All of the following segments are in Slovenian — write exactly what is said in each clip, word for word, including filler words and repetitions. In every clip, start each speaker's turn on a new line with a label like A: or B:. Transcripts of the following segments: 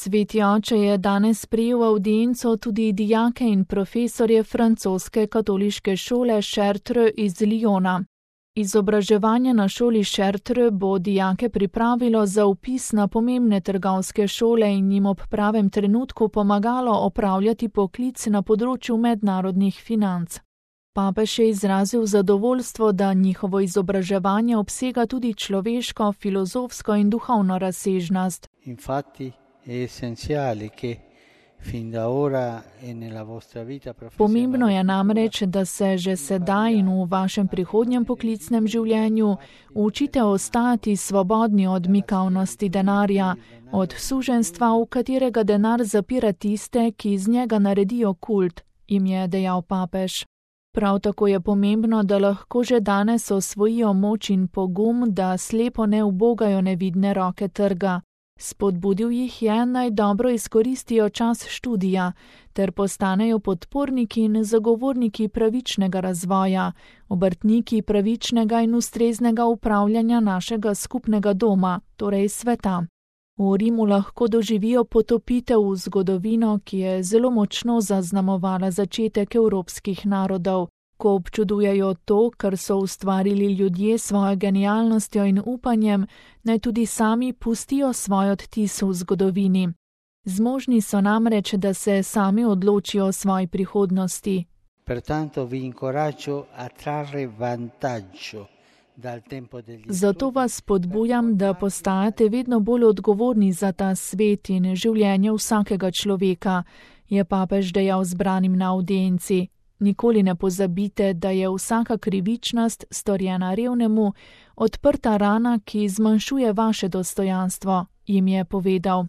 A: Sveti oče je danes sprejel avdienco tudi dijake in profesorje francoske katoliške šole Chartres iz Lyona. Izobraževanje na šoli Chartres bo dijake pripravilo za vpis na pomembne trgovske šole in jim ob pravem trenutku pomagalo opravljati poklic na področju mednarodnih financ. Papež je izrazil zadovoljstvo, da njihovo izobraževanje obsega tudi človeško, filozofsko in duhovno razsežnost.
B: Infatti è essenziale che fin da ora e nella vostra vita professionale.
A: Pomembno je namreč, da se že sedaj in v vašem prihodnjem poklicnem življenju učite ostati svobodni od mikavnosti denarja, od suženjstva, v katerega denar zapira tiste, ki iz njega naredijo kult, jim je dejal papež. Prav tako je pomembno, da lahko že danes osvojijo moč in pogum, da slepo ne ubogajo nevidne roke trga. Spodbudil jih je, naj dobro izkoristijo čas študija, ter postanejo podporniki in zagovorniki pravičnega razvoja, obrtniki pravičnega in ustreznega upravljanja našega skupnega doma, torej sveta. V Rimu lahko doživijo potopitev v zgodovino, ki je zelo močno zaznamovala začetek evropskih narodov. Ko občudujejo to, kar so ustvarili ljudje s svojo genialnostjo in upanjem, naj tudi sami pustijo svoj odtis v zgodovini. Zmožni so namreč, da se sami odločijo o svoji prihodnosti.
B: Pertanto vi incoraggio a trarre vantaggio.
A: Zato vas spodbujam, da postajate vedno bolj odgovorni za ta svet in življenje vsakega človeka, je papež dejal zbranim na avdienci. Nikoli ne pozabite, da je vsaka krivičnost, storjena revnemu, odprta rana, ki zmanjšuje vaše dostojanstvo, jim je povedal.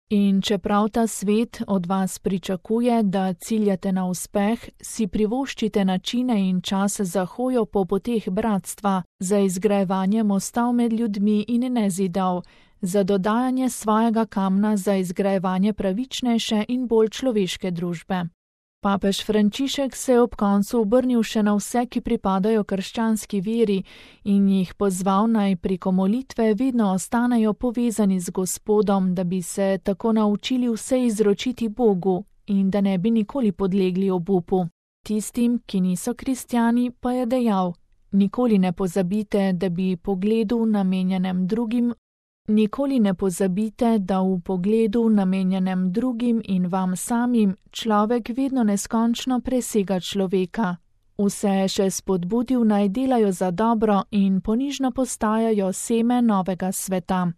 A: In čeprav ta svet od vas pričakuje, da ciljate na uspeh, si privoščite načine in čas za hojo po poteh bratstva, za izgrajevanje mostov med ljudmi in ne zidov, za dodajanje svojega kamna za izgrajevanje pravičnejše in bolj človeške družbe. Papež Frančišek se je ob koncu obrnil še na vse, ki pripadajo krščanski veri, in jih pozval naj preko molitve vedno ostanejo povezani z Gospodom, da bi se tako naučili vse izročiti Bogu in da ne bi nikoli podlegli obupu. Tistim, ki niso kristjani, pa je dejal: nikoli ne pozabite, da bi pogledu namenjenem drugim Nikoli ne pozabite, da v pogledu namenjenem drugim in vam samim človek vedno neskončno presega človeka. Vse je še spodbudil, naj delajo za dobro in ponižno postajajo seme novega sveta.